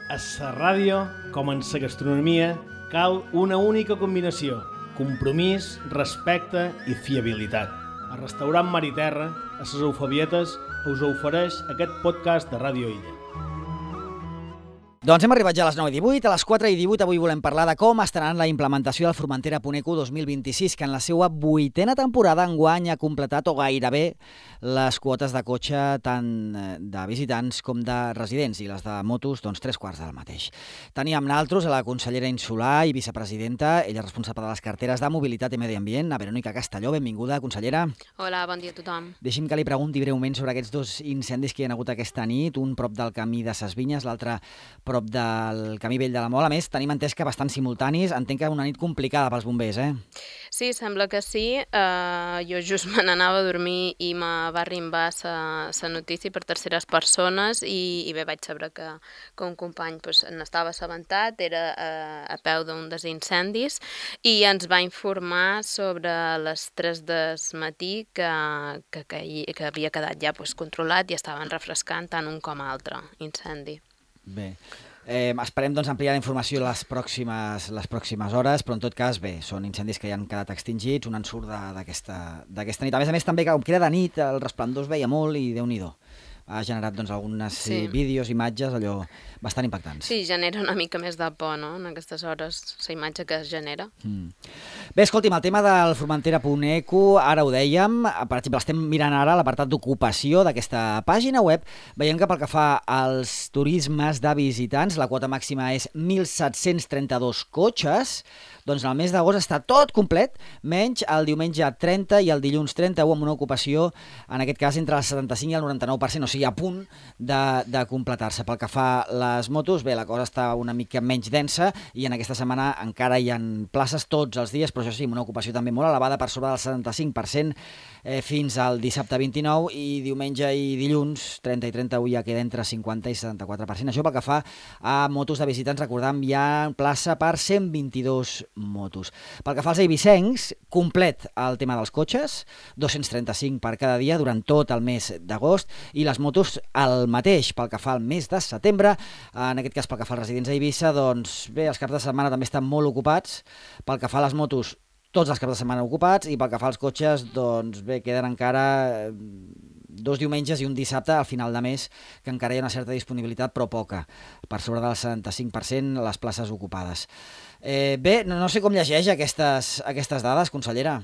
A la ràdio, com en la gastronomia, cal una única combinació: compromís, respecte i fiabilitat. El restaurant Mar i Terra, a les Eufebietes, us ofereix aquest podcast de Ràdio Illa. Doncs hem arribat ja a les 9:18, a les 4:18 avui volem parlar de com està anant la implementació del Formentera Puneco 2026, que en la seva 8a temporada enguany ha completat o gairebé les quotes de cotxe tant de visitants com de residents, i les de motos, doncs 3/4 del mateix. Teníem naltros a la consellera insular i vicepresidenta, ella responsable de les carteres de Mobilitat i Medi Ambient, a Verònica Castelló. Benvinguda, consellera. Hola, bon dia a tothom. Deixi'm que li pregunti breument sobre aquests dos incendis que hi ha hagut aquesta nit, un prop del camí de Ses Vinyes, l'altre prop del camí vell de la Mol. A més, tenim entès que bastant simultanis. Entenc que una nit complicada pels bombers, eh? Sí, sembla que sí. Jo just me n'anava a dormir i me va arribar la notícia per terceres persones i bé, vaig saber que un company n'estava assabentat, era a peu d'un dels incendis, i ens va informar sobre les 3 del matí que havia quedat ja controlat i estaven refrescant tant un com altre incendi. Bé. Esperem doncs ampliar la informació les pròximes hores, però en tot cas, bé, són incendis que ja han quedat extingits, un ensurt d'aquesta nit. A més també, com que era de nit, el resplendor es veia molt i Déu-n'hi-do. Ha generat doncs algunes vídeos, imatges, allò bastant impactants. Sí, genera una mica més de por, no?, en aquestes hores, la imatge que es genera. Bé, escolti'm, el tema del Formentera Puneco, ara ho dèiem, per exemple, estem mirant ara l'apartat d'ocupació d'aquesta pàgina web, veiem que pel que fa als turismes de visitants, la quota màxima és 1.732 cotxes, doncs en el mes d'agost està tot complet, menys el diumenge 30 i el dilluns 31, amb una ocupació, en aquest cas, entre el 75 i el 99%, o sigui, a punt de completar-se. Pel que fa a les motos, bé, la cosa està una mica menys densa i en aquesta setmana encara hi ha places tots els dies, però això sí, amb una ocupació també molt elevada, per sobre del 75%, fins al dissabte 29, i diumenge i dilluns 30 i 31 ja queda entre 50 i 74%. Això pel que fa a motos de visitants, recordem, hi ha plaça per 122 motos. Pel que fa als eivissencs, complet el tema dels cotxes, 235 per cada dia durant tot el mes d'agost, i les motos el mateix pel que fa al mes de setembre. En aquest cas, pel que fa als residents a Eivissa, doncs bé, els caps de setmana també estan molt ocupats. Pel que fa a les motos, tots els caps de setmana ocupats, i pel que fa als cotxes, doncs bé, queden encara 2 diumenges i un dissabte al final de mes, que encara hi ha una certa disponibilitat, però poca, per sobre del 75% les places ocupades. Bé, no sé com llegeix aquestes dades, consellera.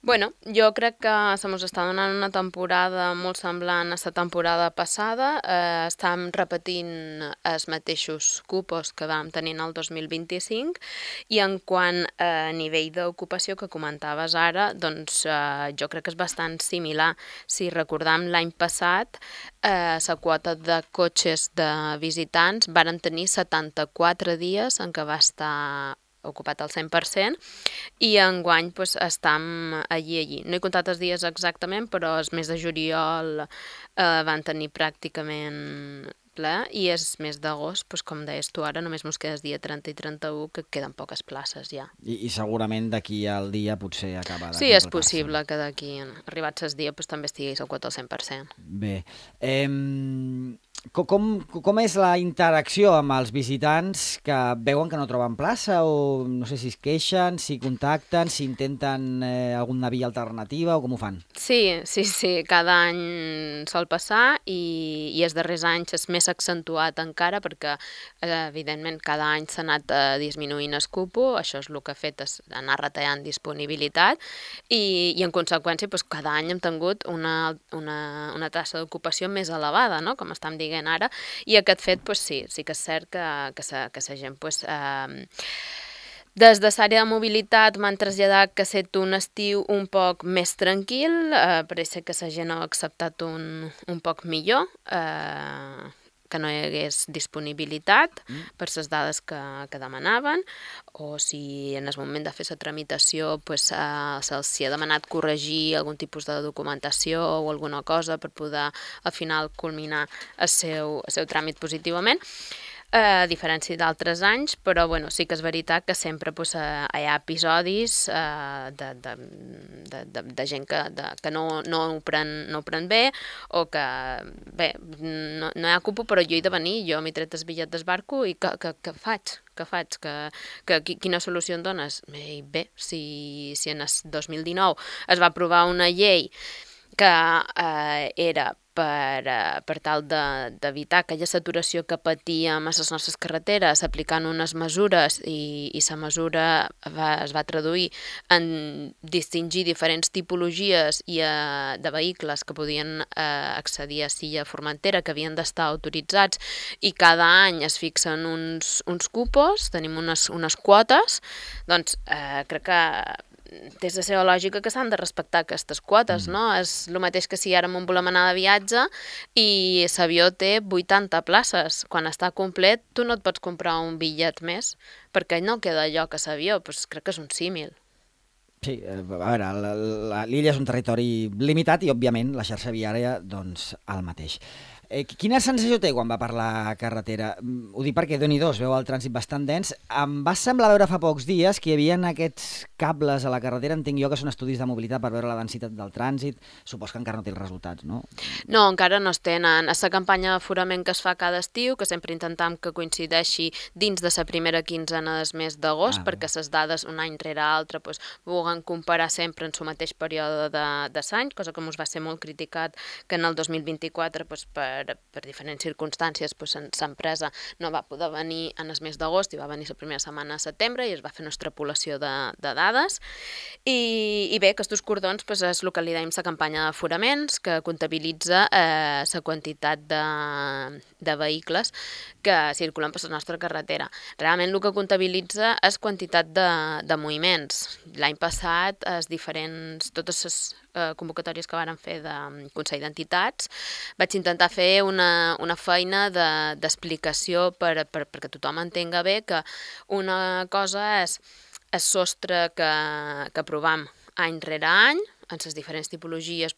Bueno, jo crec que se mos està donant una temporada molt semblant a la temporada passada. Estem repetint els mateixos cupos que vam tenir el 2025, i en quant a nivell d'ocupació que comentaves ara, doncs jo crec que és bastant similar. Si recordam, l'any passat la quota de cotxes de visitants varen tenir 74 dies en què va estar ocupat al 100%, i enguany estem allí. No he comptat els dies exactament, però els mes de juliol van tenir pràcticament ple, i el mes d'agost, com deies tu ara, només mos queda el dia 30 i 31, que queden poques places ja. I segurament d'aquí al dia potser acaba de Sí, és possible que d'aquí, arribats el dia, també estiguis al quota al 100%. Bé, com és la interacció amb els visitants que veuen que no troben plaça, o no sé si es queixen, si contacten, si intenten alguna via alternativa, o com ho fan? Sí, cada any sol passar, i els darrers anys és més accentuat encara, perquè evidentment cada any s'ha anat disminuint el cupo. Això és el que ha fet, és anar retallant disponibilitat, i en conseqüència cada any hem tingut una taxa d'ocupació més elevada, no?, com estem dient ara, i aquest fet sí que és cert que la gent des de l'àrea de mobilitat m'han traslladat que ha estat un estiu un poc més tranquil. Pareix que la gent ha acceptat un poc millor, que no hi hagués disponibilitat per les dades que demanaven, o si en el moment de fer la tramitació se'ls ha demanat corregir algun tipus de documentació o alguna cosa per poder al final culminar el seu tràmit positivament. a diferència d'altres anys, però bueno, sí que és veritat que sempre hi ha episodis de gent que no ho pren bé, o que, bé, no hi ha cupo, però jo he de venir, jo m'he tret el bitllet d'esbarco i què faig? Quina solució em dones? Bé, si en el 2019 es va aprovar una llei que era per tal d'evitar aquella saturació que patíem a les nostres carreteres, aplicant unes mesures i la mesura es va traduir en distingir diferents tipologies de vehicles que podien accedir a Silla Formentera, que havien d'estar autoritzats, i cada any es fixen uns cupos, tenim unes quotes, doncs crec que des de la seva lògica que s'han de respectar aquestes quotes, no? És el mateix que si ara volem anar de viatge i l'avió té 80 places. Quan està complet, tu no et pots comprar un bitllet més, perquè no queda lloc a l'avió. Pues crec que és un símil. Sí, a veure, l'illa és un territori limitat i, òbviament, la xarxa viària, doncs, el mateix. Quina sensació té quan va per la carretera? Ho dic perquè, Déu-n'hi-do, es veu el trànsit bastant dens. Em va semblar veure fa pocs dies que hi havia aquests cables a la carretera, entenc jo que són estudis de mobilitat per veure la densitat del trànsit. Supos que encara no té els resultats, no? No, encara no es tenen. És la campanya d'aforament que es fa cada estiu, que sempre intentem que coincideixi dins de la primera quinzena del mes d'agost, perquè les dades un any rere altre vulguin comparar sempre en el mateix període de l'any, cosa que ens va ser molt criticat que en el 2024 per diferents circumstàncies l'empresa no va poder venir en el mes d'agost i va venir la primera setmana de setembre i es va fer una extrapolació de dades. I bé, aquests cordons és el que li dèiem la campanya d'aforaments, que comptabilitza la quantitat de vehicles que circulen per la nostra carretera. Realment el que comptabilitza és quantitat de moviments. L'any passat, totes les convocatòries que varen fer de Consell d'Entitats, vaig intentar fer una feina d'explicació perquè tothom entenga bé que una cosa és el sostre que aprovem any rere any, en les diferents tipologies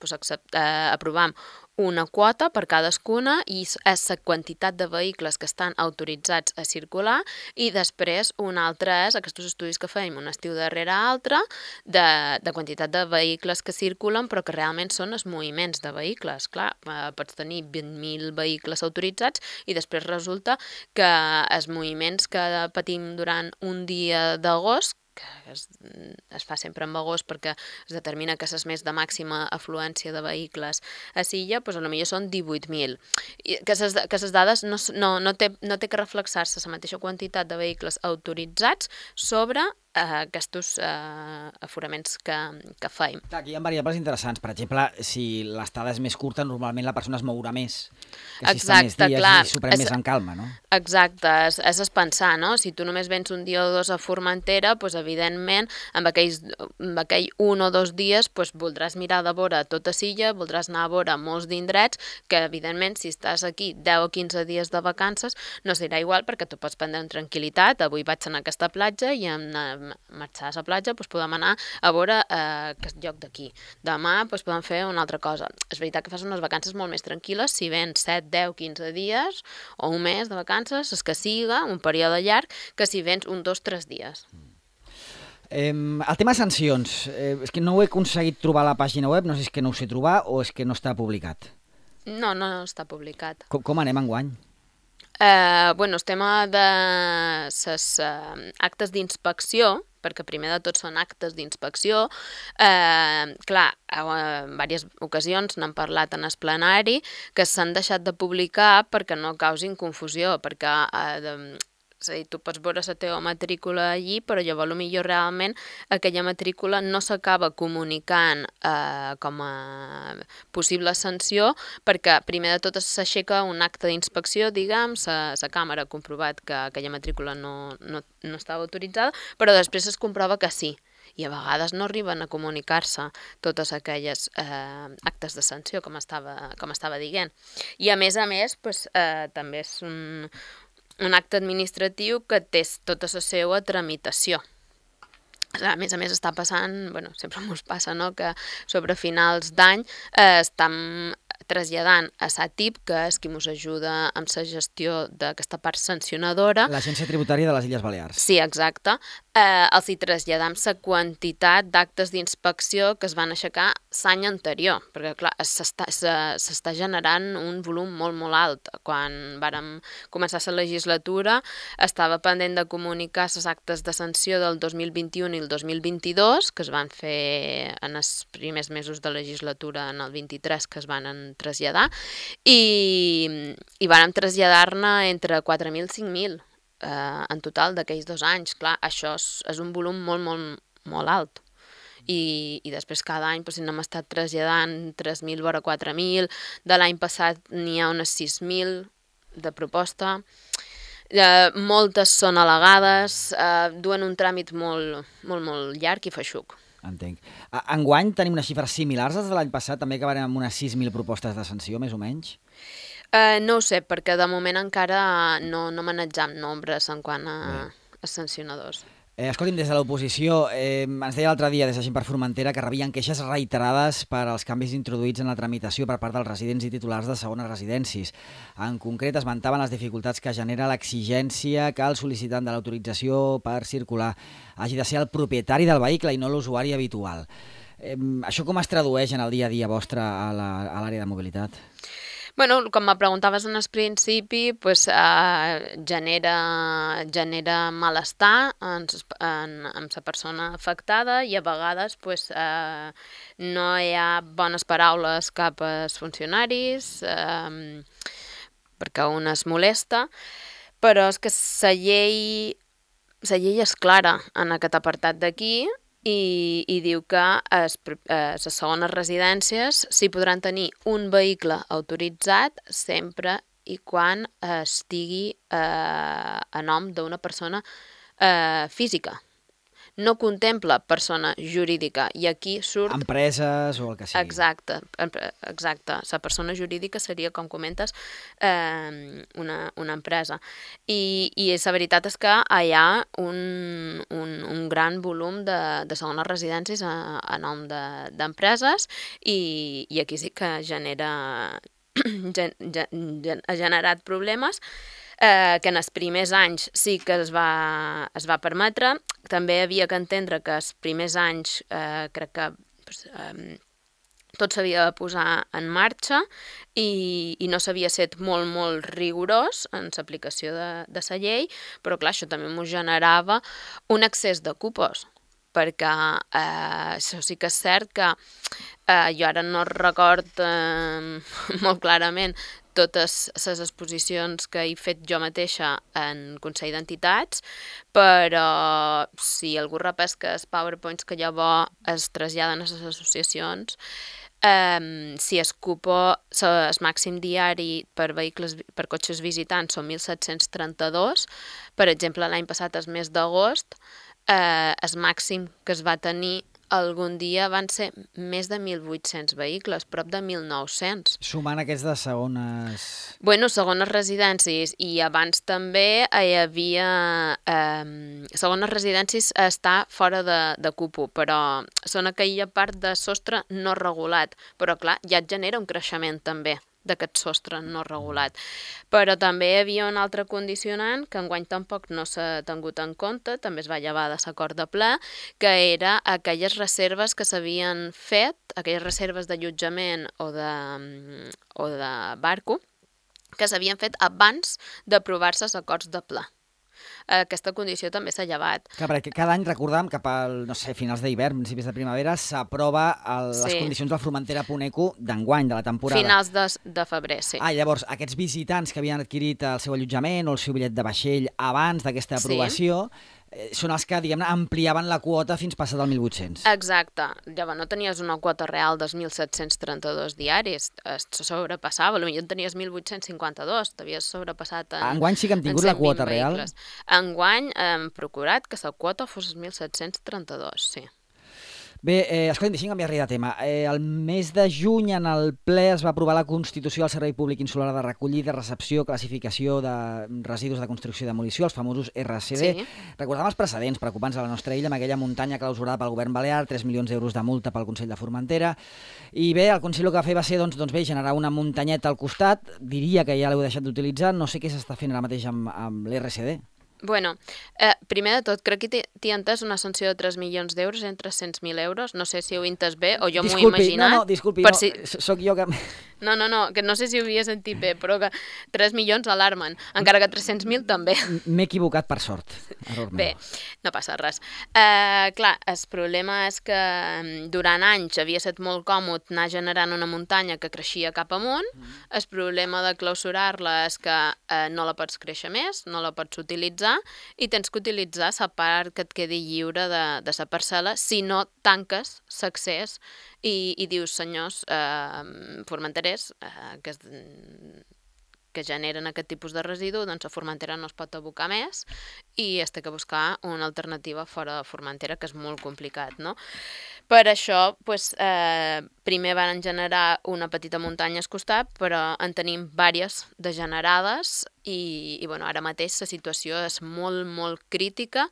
aprovem una quota per cadascuna i és la quantitat de vehicles que estan autoritzats a circular, i després una altra és aquests estudis que fèiem un estiu darrere altre de quantitat de vehicles que circulen però que realment són els moviments de vehicles. Clar, pots tenir 20.000 vehicles autoritzats i després resulta que els moviments que patim durant un dia d'agost, que es fa sempre en agost perquè es determina que és el mes de màxima afluència de vehicles a Silla, potser són 18.000. Que les dades no té que reflexar-se la mateixa quantitat de vehicles autoritzats sobre aquests aforaments que fèiem. Aquí hi ha variables interessants. Per exemple, si l'estada és més curta, normalment la persona es mourà més. Que si està més dies i s'ho pren més en calma, no? Exacte, és pensar, no? Si tu només vens un dia o dos a Formentera, doncs evidentment, amb aquell 1 o 2 dies, voldràs mirar de vora tota Silla, voldràs anar a vora molts d'indrets, que evidentment, si estàs aquí 10 o 15 dies de vacances, no serà igual perquè tu pots prendre amb tranquil·litat. Avui vaig anar a aquesta platja i marxar a la platja, podem anar a veure aquest lloc d'aquí. Demà podem fer una altra cosa. És veritat que fas unes vacances molt més tranquil·les si vens 7, 10, 15 dies o un mes de vacances, és que siga un període llarg, que si vens 1, 2, 3 dies. El tema sancions, és que no ho he aconseguit trobar a la pàgina web, no sé si és que no ho sé trobar o és que no està publicat. No està publicat. Com anem enguany? El tema de les actes d'inspecció, perquè primer de tot són actes d'inspecció, clar, en diverses ocasions n'hem parlat en el plenari, que s'han deixat de publicar perquè no causin confusió, perquè és a dir, tu pots veure la teva matrícula allí, però llavors potser realment aquella matrícula no s'acaba comunicant com a possible sanció, perquè primer de tot s'aixeca un acte d'inspecció, diguem, la càmera ha comprovat que aquella matrícula no estava autoritzada, però després es comprova que sí. I a vegades no arriben a comunicar-se totes aquelles actes de sanció, com estava dient. I a més, també és un acte administratiu que té tota la seva tramitació. A més està passant, sempre ens passa, no?, que sobre finals d'any traslladant a SATIP, que és qui ens ajuda amb la gestió d'aquesta part sancionadora. L'Agència Tributària de les Illes Balears. Sí, exacte. Els hi traslladam la quantitat d'actes d'inspecció que es van aixecar l'any anterior, perquè, clar, s'està generant un volum molt, molt alt. Quan vàrem començar la legislatura, estava pendent de comunicar les actes de sanció del 2021 i el 2022, que es van fer en els primers mesos de legislatura, en el 23, que es van traslladar, i vàrem traslladar-ne entre 4.000 i 5.000 en total d'aquells 2 anys. Clar, això és un volum molt, molt, molt alt. I després cada any si n'hem estat traslladant 3.000 vora 4.000, de l'any passat n'hi ha unes 6.000 de proposta. Moltes són al·legades, duen un tràmit molt, molt, molt llarg i feixuc. Entenc. Enguany tenim unes xifres similars als de l'any passat, també acabarem amb unes 6.000 propostes de sanció, més o menys? No ho sé, perquè de moment encara no manejam nombres en quant a sancionadors. Escolti'm, des de l'oposició, ens deia l'altre dia des de Gent per Formentera que rebien queixes reiterades per als canvis introduïts en la tramitació per part dels residents i titulars de segones residències. En concret, esmentaven les dificultats que genera l'exigència que el sol·licitant de l'autorització per circular hagi de ser el propietari del vehicle i no l'usuari habitual. Això com es tradueix en el dia a dia vostre a l'àrea de mobilitat? Bueno, com me preguntaves en el principi, genera malestar amb la persona afectada i a vegades no hi ha bones paraules cap als funcionaris perquè un es molesta, però és que la llei és clara en aquest apartat d'aquí i diu que a les segones residències s'hi podran tenir un vehicle autoritzat sempre i quan estigui a nom d'una persona física. No contempla persona jurídica i aquí surt... Empreses o el que sigui. Exacte. La persona jurídica seria, com comentes, una empresa. I la veritat és que hi ha un gran volum de segones residències a nom d'empreses i aquí sí que ha generat problemes que en els primers anys sí que es va permetre. També havia que entendre que els primers anys crec que tot s'havia de posar en marxa i no s'havia estat molt, molt rigorós en l'aplicació de la llei, però clar, això també m'ho generava un excés de cupos, perquè això sí que és cert que jo ara no record molt clarament totes les exposicions que he fet jo mateixa en Consell d'Entitats, però si algú repesca els PowerPoints que llavors es traslladen a les associacions, si el cupo, el màxim diari per cotxes visitants són 1.732, per exemple l'any passat, el mes d'agost, el màxim que es va tenir algun dia van ser més de 1.800 vehicles, prop de 1.900. Sumant aquests de segones... Bueno, segones residències, i abans també hi havia... Segones residències està fora de cupo, però són aquella part de sostre no regulat, però clar, ja et genera un creixement també d'aquest sostre no regulat. Però també hi havia un altre condicionant que enguany tampoc no s'ha tingut en compte, també es va llevar de l'acord de ple, que era aquelles reserves que s'havien fet, aquelles reserves d'allotjament o de barco, que s'havien fet abans d'aprovar-se els acords de ple. Aquesta condició també s'ha llevat. Clar, perquè cada any, recordàvem, cap al, finals d'hivern, principis de primavera, s'aprova les condicions del Formentera.eco d'enguany, de la temporada. Finals de febrer, sí. Llavors, aquests visitants que havien adquirit el seu allotjament o el seu bitllet de vaixell abans d'aquesta aprovació, són els que, diguem-ne, ampliaven la quota fins passat al 1.800. Exacte. Llavors no tenies una quota real dels 1.732 diaris, se sobrepassava, potser en tenies 1.852, t'havies sobrepassat en... Enguany sí que hem tingut la quota real? Enguany hem procurat que la quota fos 1.732, sí. Bé, escolta'm, deixi'm canviar-li de tema. El mes de juny en el ple es va aprovar la Constitució del Servei Públic Insular de Recollida, Recepció, Classificació de Residus de Construcció i Demolició, els famosos RCD. Sí. Recordàvem els precedents preocupants a la nostra illa amb aquella muntanya clausurada pel govern balear, 3 milions d'euros de multa pel Consell de Formentera. I bé, el Consell el que va fer va ser doncs bé, generar una muntanyeta al costat. Diria que ja l'heu deixat d'utilitzar. No sé què s'està fent ara mateix amb l'RCD. Bueno, primer de tot, crec que t'hi ha entès una sanció de 3 milions d'euros entre 100.000 euros. No sé si ho he entès bé o jo m'ho he imaginat. Disculpi, soc jo que... No, que no sé si ho havia sentit bé, però que 3 milions alarmen, encara que 300.000 també. M'he equivocat per sort. Bé, no passa res. Clar, el problema és que durant anys havia estat molt còmode anar generant una muntanya que creixia cap amunt. El problema de clausurar-la és que no la pots créixer més, no la pots utilitzar i tens que utilitzar la part que et quedi lliure de la parcel·la si no tanques l'accés i dius, senyors formenterers que generen aquest tipus de residu, doncs a Formentera no es pot abocar més i es té que buscar una alternativa fora de Formentera, que és molt complicat, no? Per això, primer van generar una petita muntanya al costat, però en tenim diverses de generades i ara mateix la situació és molt, molt crítica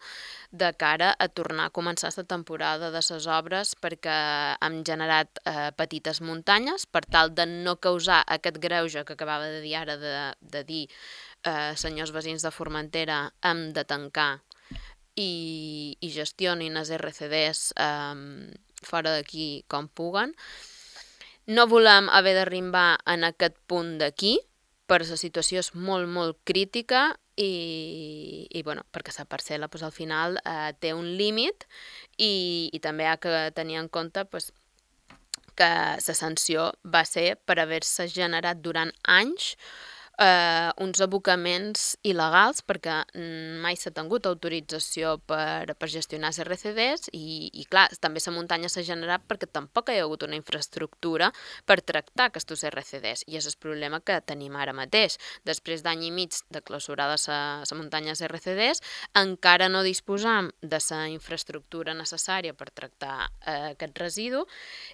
de cara a tornar a començar aquesta temporada de les obres perquè hem generat petites muntanyes per tal de no causar aquest greuge que acabava de dir ara de dir senyors veïns de Formentera hem de tancar i gestionin els RCDs fora d'aquí com puguen. No volem haver d'arribar en aquest punt d'aquí, però la situació és molt, molt crítica i perquè la parcel·la al final té un límit i també ha de tenir en compte que la sanció va ser per haver-se generat durant anys uns abocaments il·legals perquè mai s'ha tingut autorització per gestionar els RCDs i clar, també la muntanya s'ha generat perquè tampoc hi ha hagut una infraestructura per tractar aquests RCDs i és el problema que tenim ara mateix. Després d'any i mig de clausurada la muntanya dels RCDs encara no disposam de la infraestructura necessària per tractar aquest residu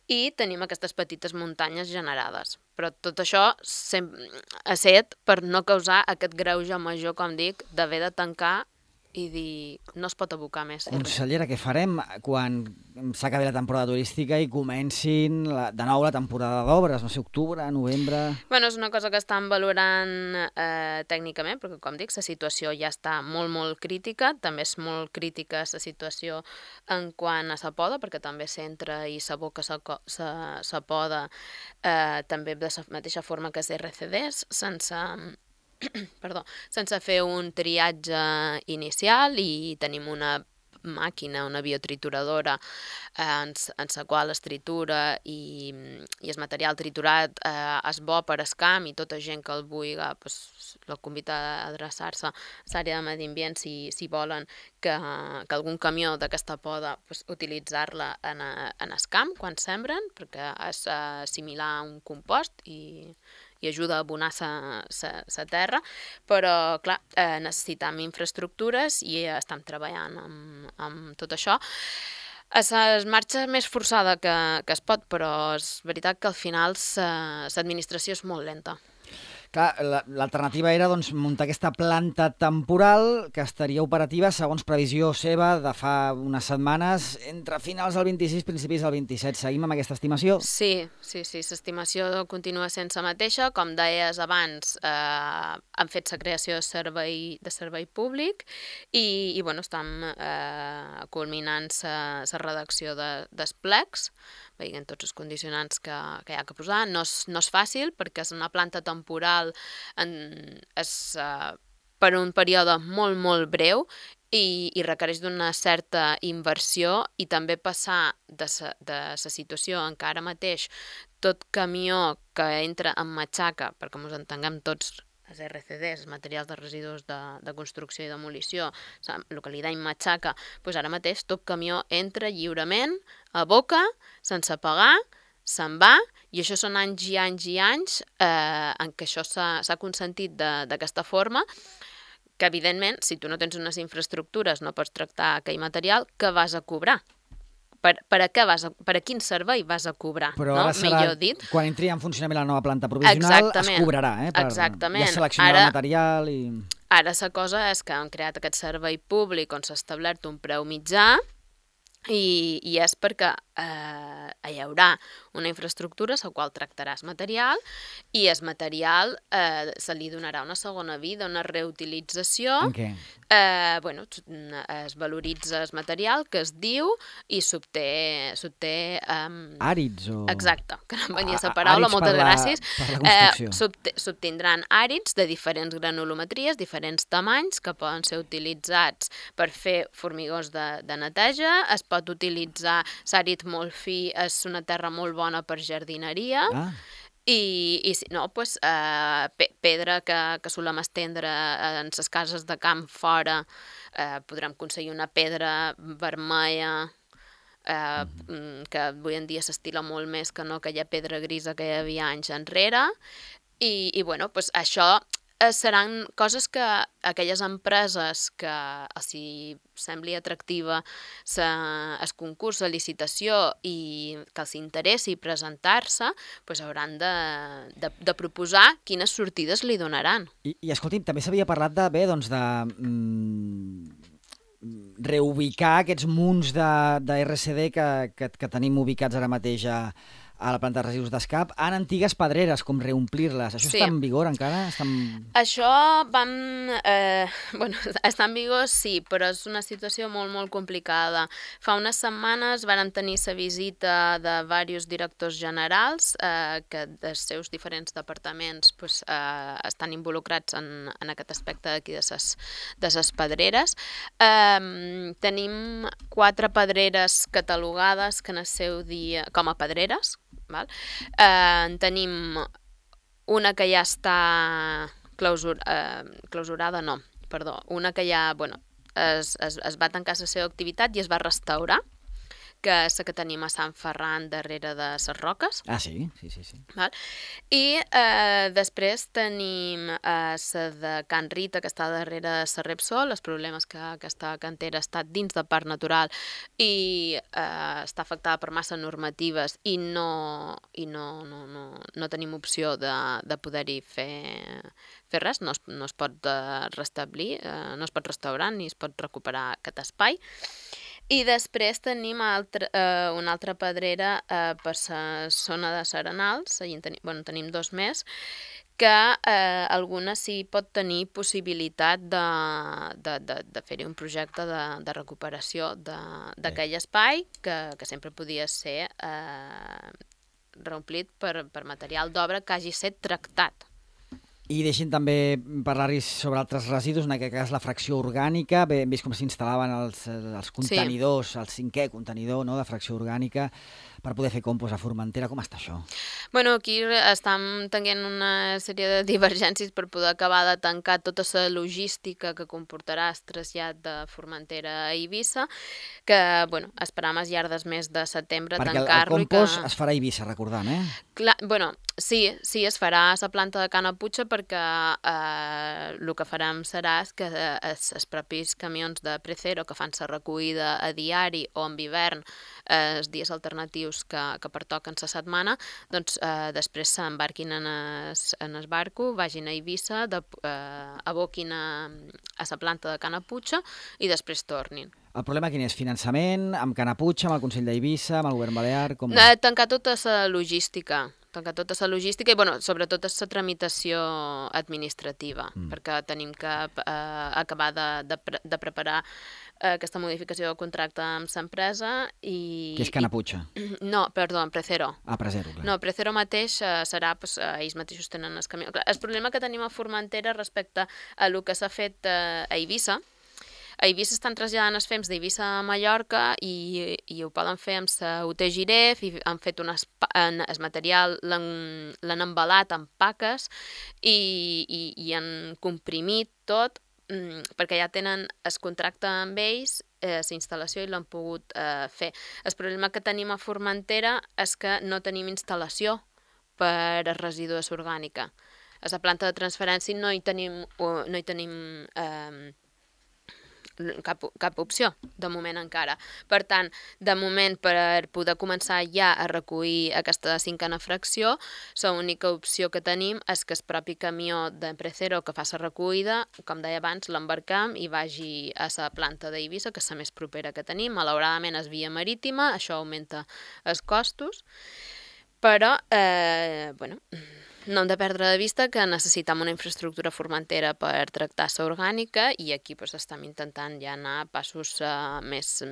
i tenim aquestes petites muntanyes generades. Però tot això ha set per no causar aquest greuge major, com dic, d'haver de tancar i dir no es pot abocar més. Consellera, què farem quan s'acabi la temporada turística i comencin de nou la temporada d'obres? No sé, octubre, novembre... És una cosa que estan valorant tècnicament, perquè com dic, la situació ja està molt, molt crítica. També és molt crítica la situació en quant a la poda, perquè també s'entra i s'aboca la poda també de la mateixa forma que els RCDs, sense fer un triatge inicial i tenim una màquina, una biotrituradora en la qual es tritura i el material triturat és bo per al camp i tota gent que el vulgui la convida a adreçar-se a l'àrea de medi ambient si volen que algun camió d'aquesta poda utilitzar-la en el camp quan sembren perquè és similar a un compost i ajuda a abonar la terra, però clar, necessitem infraestructures i estem treballant amb tot això. Es marxa més forçada que es pot, però és veritat que al final l'administració és molt lenta. Clar, l'alternativa era muntar aquesta planta temporal que estaria operativa, segons previsió seva, de fa unes setmanes, entre finals del 26 i principis del 27. Seguim amb aquesta estimació? Sí, l'estimació continua sent la mateixa. Com deies abans, han fet la creació de servei públic i estem culminant la redacció dels plecs, veient tots els condicionants que hi ha que posar. No és fàcil perquè és una planta temporal, és per un període molt, molt breu i requereix d'una certa inversió i també passar de la situació en què ara mateix tot camió que entra en matxaca, perquè ens entenguem tots, els RCDs, els materials de residus de construcció i demolició, el que li deim matxaca, ara mateix tot camió entra lliurement, aboca, sense pagar, se'n va, i això són anys i anys i anys en què això s'ha consentit d'aquesta forma, que evidentment, si tu no tens unes infraestructures, no pots tractar aquell material, que vas a cobrar per a quin servei vas a cobrar, Però no? ara serà, Millor dit. quan entri en funcionament la nova planta provisional, es cobrarà, Exactament. Ja seleccionarà el material i... Ara la cosa és que han creat aquest servei públic on s'ha establert un preu mitjà i és perquè hi haurà una infraestructura la qual tractaràs material i el material se li donarà una segona vida, una reutilització. En què? Es valoritza el material que es diu i s'obté... Àrids o... Exacte, que no em venia la paraula, moltes gràcies. Per la construcció. S'obtindran àrids de diferents granulometries, diferents tamanys, que poden ser utilitzats per fer formigons de neteja, es pot utilitzar l'àrid molt fi, és una terra molt bona per jardineria, i si no, doncs, pedra que solem estendre en les cases de camp fora, podrem aconseguir una pedra vermella, que avui en dia s'estila molt més que no aquella pedra grisa que hi havia anys enrere, i bueno, doncs això seran coses que aquelles empreses que els sembli atractiva el concurs, la licitació i que els interessi presentar-se, doncs hauran de proposar quines sortides li donaran. I escolti'm, també s'havia parlat de reubicar aquests munts de RCD que tenim ubicats ara mateix a la planta de residus d'Escap en antigues pedreres, com reomplir-les. Això està en vigor encara? Això està en vigor, sí, però és una situació molt, molt complicada. Fa unes setmanes vàrem tenir la visita de diversos directors generals que dels seus diferents departaments estan involucrats en aquest aspecte d'aquí de les pedreres. Tenim 4 pedreres catalogades que en el seu dia com a pedreres. Tenim una que ja està clausurada, una que ja es va tancar la seva activitat i es va restaurar, que és la que tenim a Sant Ferran darrere de les Roques. Ah, sí? Sí. I després tenim la de Can Rita, que està darrere de la Repsol. Els problemes que aquesta cantera està dins de parc natural i està afectada per massa normatives i no tenim opció de poder-hi fer res, no es pot restablir, no es pot restaurar ni es pot recuperar aquest espai. I després tenim una altra pedrera per la zona de Serenals, tenim 2 més, que alguna sí pot tenir possibilitat de fer-hi un projecte de recuperació d'aquell espai, que sempre podia ser reomplit per material d'obra que hagi estat tractat. I deixin també parlar-hi sobre altres residus, en aquest cas la fracció orgànica. Hem vist com s'instal·laven els contenidors, el 5è contenidor de fracció orgànica per poder fer compost a Formentera. Com està això? Aquí estem tenint una sèrie de divergències per poder acabar de tancar tota la logística que comportarà el trasllat de Formentera a Eivissa, que esperam al llarg del mes de setembre tancar-lo. Perquè el compost es farà a Eivissa, recordant, Sí, es farà a la planta de Canaputxa perquè el que farem serà que els propis camions de Precero que fan la recollida a diari o en hivern, els dies alternatius que pertoquen la setmana, doncs després s'embarquin en el barco, vagin a Eivissa, aboquin a la planta de Canaputxa i després tornin. El problema quin és? Finançament, amb Canaputxa, amb el Consell d'Eivissa, amb el Govern Balear? Tancar tota la logística i, sobretot la tramitació administrativa, perquè tenim que acabar de preparar aquesta modificació del contracte amb l'empresa i... Què és Canaputxa? No, perdó, Precero. Ah, Precero, clar. No, Precero mateix serà, ells mateixos tenen el camió. El problema que tenim a Formentera respecte a el que s'ha fet a Eivissa, a Eivissa estan traslladant els fems d'Eivissa a Mallorca i ho poden fer amb la UT Giref i han fet el material, l'han embalat amb paques i han comprimit tot perquè ja tenen el contracte amb ells, la instal·lació i l'han pogut fer. El problema que tenim a Formentera és que no tenim instal·lació per a residus orgànica. A la planta de transferència no hi tenim cap opció, de moment encara. Per tant, de moment, per poder començar ja a recollir aquesta 5a fracció, l'única opció que tenim és que el propi camió de Precero que fa la recollida, com deia abans, l'embarcam i vagi a la planta d'Eivissa, que és la més propera que tenim. Malauradament és via marítima, això augmenta els costos, però, bueno, no hem de perdre de vista que necessitem una infraestructura formentera per tractar la orgànica i aquí estem intentant ja anar a passos més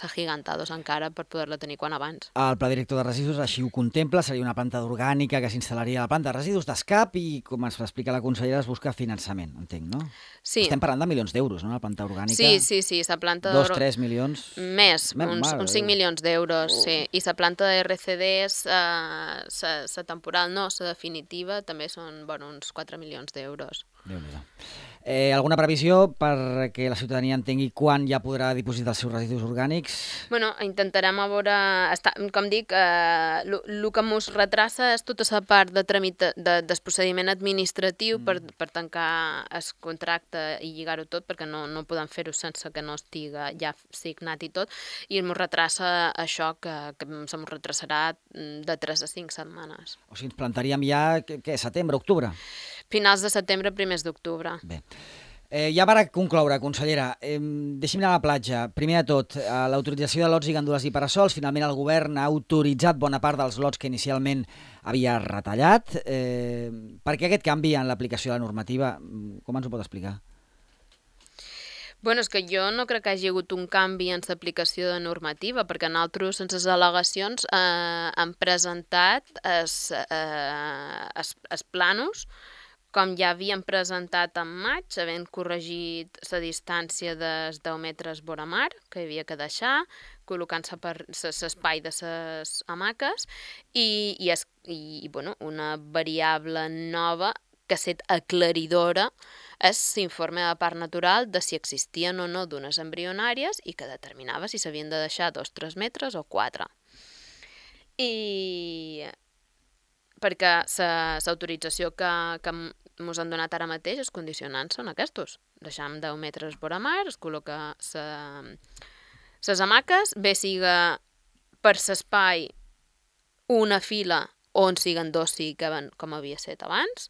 agigantados encara per poder-la tenir quan abans. El pla director de residus així ho contempla, seria una planta d'orgànica que s'instal·laria a la planta de residus d'Escap i, com ens explica la consellera, es busca finançament, entenc, no? Sí. Estem parlant de milions d'euros, no?, la planta orgànica. Sí, la planta... 2-3 milions... Més, uns 5 milions d'euros, sí. I la planta de RCDs, la temporal no, la definitiva, també són uns 4 milions d'euros. Déu-n'hi-do. Alguna previsió perquè la ciutadania entengui quan ja podrà dipositar els seus residus orgànics? Bueno, intentarem a veure... Com dic, el que ens retrassa és tota la part del procediment administratiu per tancar el contracte i lligar-ho tot, perquè no podem fer-ho sense que no estigui ja signat i tot, i ens retrassa això que se'ns retrasarà de 3 a 5 setmanes. O sigui, ens plantaríem ja, què, setembre, octubre? Finals de setembre, primers d'octubre. Bé. Ja per concloure, consellera, deixi'm anar a la platja. Primer de tot, l'autorització de lots i gandules i parasols. Finalment el govern ha autoritzat bona part dels lots que inicialment havia retallat. Per què aquest canvi en l'aplicació de la normativa? Com ens ho pot explicar? Bueno, és que jo no crec que hagi hagut un canvi en l'aplicació de normativa, perquè nosaltres, sense les al·legacions, hem presentat els plànols com ja havíem presentat en maig, havent corregit la distància dels 10 metres vora mar, que hi havia que deixar, col·locant-se per l'espai de les hamaques, i una variable nova que ha estat aclaridora és l'informe de part natural de si existien o no dunes embrionàries i que determinava si s'havien de deixar 2-3 metres o 4. I perquè l'autorització que ens han donat ara mateix, els condicionants són aquests. Deixam 10 metres vora mar, es col·loca les hamaques, bé siga per l'espai una fila on siguen 2 sí que van com havia estat abans,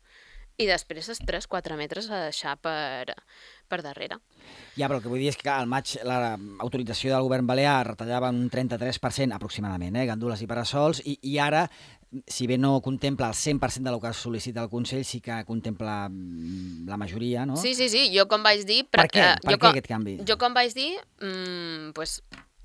i després els 3-4 metres a deixar per darrere. Ja, però el que vull dir és que al maig l'autorització del govern balear retallava un 33% aproximadament, gandules i parasols, i ara, si bé no contempla el 100% del que sol·licita el Consell, sí que contempla la majoria, no? Sí, jo com vaig dir... Per què aquest canvi? Jo com vaig dir,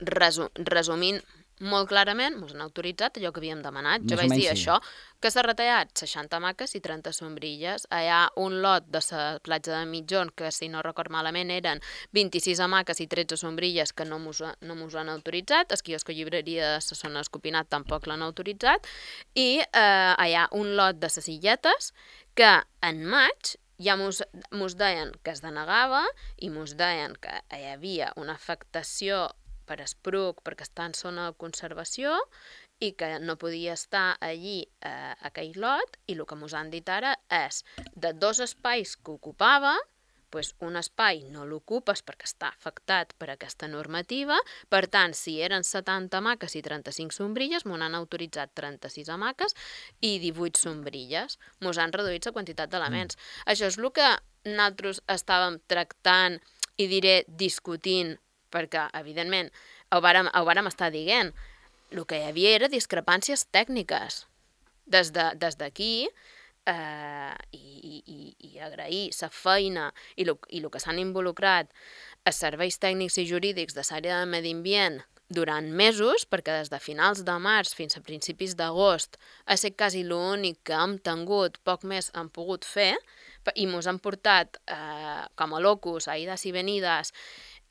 resumint molt clarament, ens han autoritzat allò que havíem demanat. Jo vaig dir això, que s'ha retallat 60 hamaques i 30 sombrilles. Hi ha un lot de la platja de Mitjón, que si no record malament eren 26 hamaques i 13 sombrilles que no mos han autoritzat. El quiosco llibreria de la zona Escopinat tampoc l'han autoritzat. I hi ha un lot de les silletes que en maig ja mos deien que es denegava i mos deien que hi havia una afectació per espruc, perquè està en zona de conservació i que no podia estar allí aquell lot, i el que ens han dit ara és de 2 espais que ocupava, un espai no l'ocupes perquè està afectat per aquesta normativa, per tant, si eren 70 hamaques i 35 sombrilles, m'ho han autoritzat 36 hamaques i 18 sombrilles. Ens han reduït la quantitat d'elements. Això és el que nosaltres estàvem tractant i discutint, perquè, evidentment, ho vàrem estar dient. El que hi havia era discrepàncies tècniques. Des d'aquí, i agrair la feina i el que s'han involucrat els serveis tècnics i jurídics de l'àrea de medi ambient durant mesos, perquè des de finals de març fins a principis d'agost ha estat quasi l'únic que hem tingut, poc més hem pogut fer, i ens han portat com a locus, a ides i venides,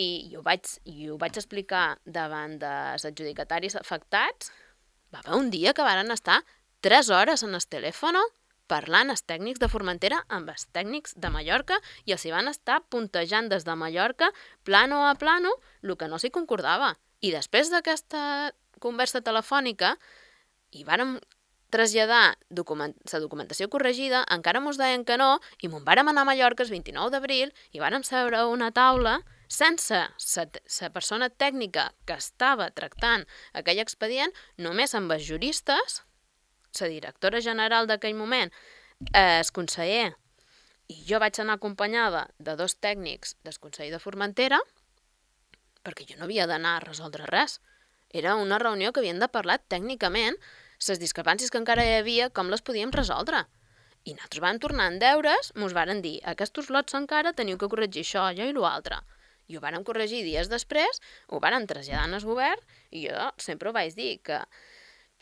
i ho vaig explicar davant dels adjudicataris afectats. Va haver un dia que varen estar 3 hores en el telèfon parlant els tècnics de Formentera amb els tècnics de Mallorca i els hi van estar puntejant des de Mallorca, plano a plano, el que no s'hi concordava. I després d'aquesta conversa telefònica hi vàrem traslladar la documentació corregida, encara ens deien que no, i me'n vàrem anar a Mallorca el 29 d'abril i vàrem seure a una taula sense la persona tècnica que estava tractant aquell expedient, només amb els juristes, la directora general d'aquell moment, el conseller, i jo vaig anar acompanyada de 2 tècnics del Consell de Formentera, perquè jo no havia d'anar a resoldre res. Era una reunió que havien de parlar tècnicament les discrepàncies que encara hi havia, com les podíem resoldre. I nosaltres vam tornar en deures, mos varen dir, aquests lots encara teniu que corregir això, allò i l'altre. I ho vàrem corregir dies després, ho vàrem traslladar al govern, i jo sempre ho vaig dir, que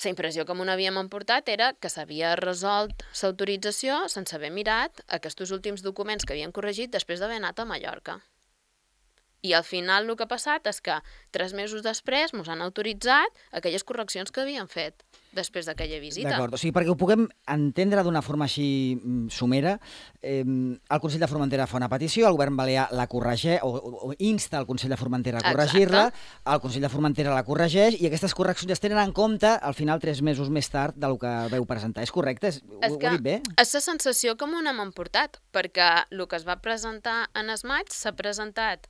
la impressió que m'ho havíem emportat era que s'havia resolt l'autorització sense haver mirat aquests últims documents que havien corregit després d'haver anat a Mallorca. I al final el que ha passat és que 3 mesos després mos han autoritzat aquelles correccions que havien fet després d'aquella visita. D'acord, o sigui, perquè ho puguem entendre d'una forma així somera, el Consell de Formentera fa una petició, el govern balear la corregeix, o insta el Consell de Formentera a corregir-la, el Consell de Formentera la corregeix, i aquestes correccions es tenen en compte al final 3 mesos més tard del que veu presentar. És correcte? Ho he dit bé? És la sensació que m'ho hem emportat, perquè el que es va presentar en el maig s'ha presentat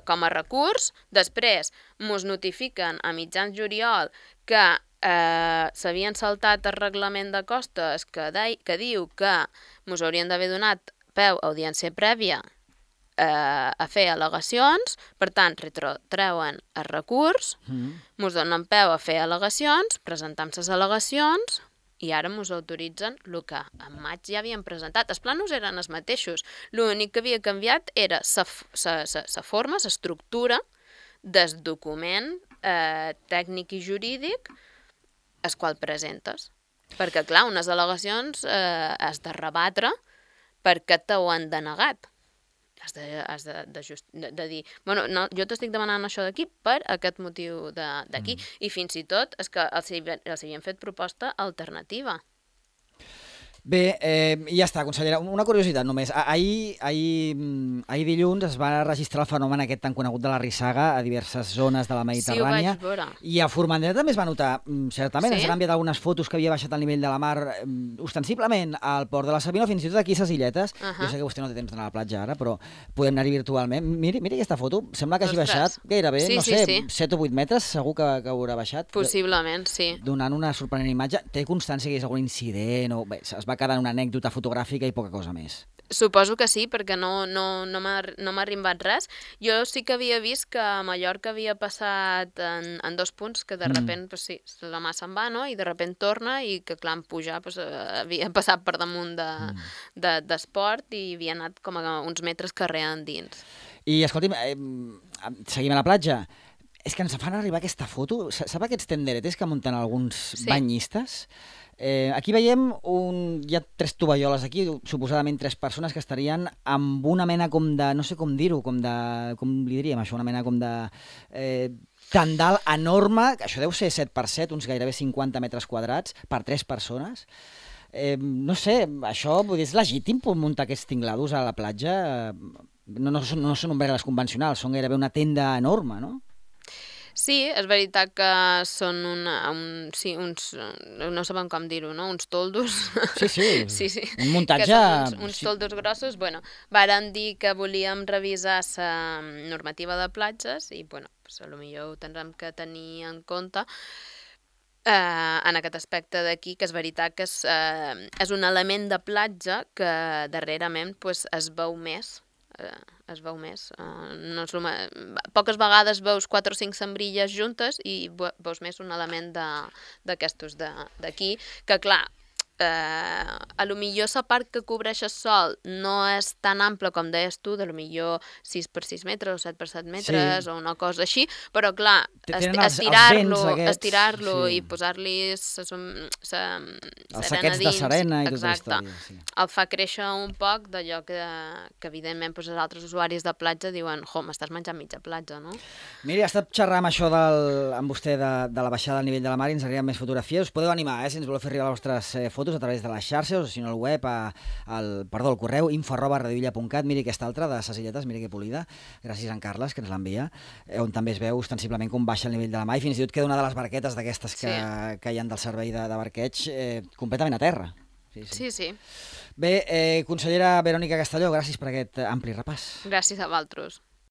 com a recurs, després mos notifiquen a mitjans juliol que s'havien saltat el reglament de costes que diu que mos haurien d'haver donat peu a audiència prèvia a fer al·legacions, per tant, retreuen el recurs, mos donen peu a fer al·legacions, presentam les al·legacions, i ara mos autoritzen el que en maig ja havíem presentat. Els plànols eren els mateixos. L'únic que havia canviat era la forma, l'estructura del document tècnic i jurídic el qual presentes. Perquè, clar, unes al·legacions has de rebatre perquè t'ho han denegat. Has de dir, bueno, no, jo t'estic demanant això d'aquí per aquest motiu d'aquí. I fins i tot és que els havien fet proposta alternativa. Bé, ja està, consellera. Una curiositat només. Ahir dilluns es va registrar el fenomen aquest tan conegut de la rissaga a diverses zones de la Mediterrània. Sí, ho vaig veure. I a Formentera també es va notar, certament. Sí? Ens han enviat algunes fotos que havia baixat el nivell de la mar ostensiblement al port de la Sabina, fins i tot aquí a les illetes. Jo sé que vostè no té temps d'anar a la platja ara, però podem anar-hi virtualment. Miri aquesta foto. Sembla que hagi baixat gairebé, no sé, 7 o 8 metres, segur que haurà baixat. Possiblement, sí. Donant una sorprenent imatge. Té constància que hi hagués algun incident o bé, es va quedar en una anècdota fotogràfica i poca cosa més. Suposo que sí, perquè no m'ha arribat res. Jo sí que havia vist que a Mallorca havia passat en 2 punts que de repent, pues sí, la mà se'n va, no? I de repent torna i que, clar, en pujar havia passat per damunt d'esport i havia anat com a uns metres carrer endins. I, escolti'm, seguim a la platja. És que ens fan arribar aquesta foto. Sap aquests tenderetes que munten alguns banyistes? Aquí veiem, hi ha 3 tovalloles aquí, suposadament 3 persones que estarien amb una mena com de, no sé com dir-ho, com li diríem això, una mena com de tendal enorme, que això deu ser 7x7, uns gairebé 50 metres quadrats per 3 persones. No sé, això és legítim muntar aquests tinglados a la platja? No són ombrelles convencionals, són gairebé una tenda enorme, no? Sí, és veritat que són uns, no sabem com dir-ho, no? Uns toldos. Sí. Un muntatge... Uns toldos grossos. Bueno, vàrem dir que volíem revisar la normativa de platges i, bueno, potser ho tindrem que tenir en compte en aquest aspecte d'aquí, que és veritat que és un element de platja que darrerament es veu més. Poques vegades veus 4 o 5 sembrilles juntes i veus més un element d'aquestos d'aquí, que clar, a lo millor la part que cobreix el sol no és tan ampla com deies tu, de lo millor 6x6 metres o 7x7 metres o una cosa així, però clar, estirar-lo i posar-li els saquets de serena i tota la història. El fa créixer un poc d'allò que evidentment els altres usuaris de platja diuen, m'estàs menjant mitja platja, no? Miri, ha estat xerrar amb això amb vostè de la baixada del nivell de la mar i ens arriben més fotografies. Us podeu animar, si ens voleu fer arribar les vostres fotos a través de les xarxes o si no al web, al correu info@radiovilla.cat. Miri aquesta altra de ses illetes, miri que polida, gràcies a en Carles que ens l'envia, on també es veu ostensiblement com baixa el nivell de la mar i fins i tot queda una de les barquetes d'aquestes que hi ha del servei de barqueig completament a terra. Sí. Bé, consellera Verònica Castelló, gràcies per aquest ampli repàs. Gràcies a vosaltres.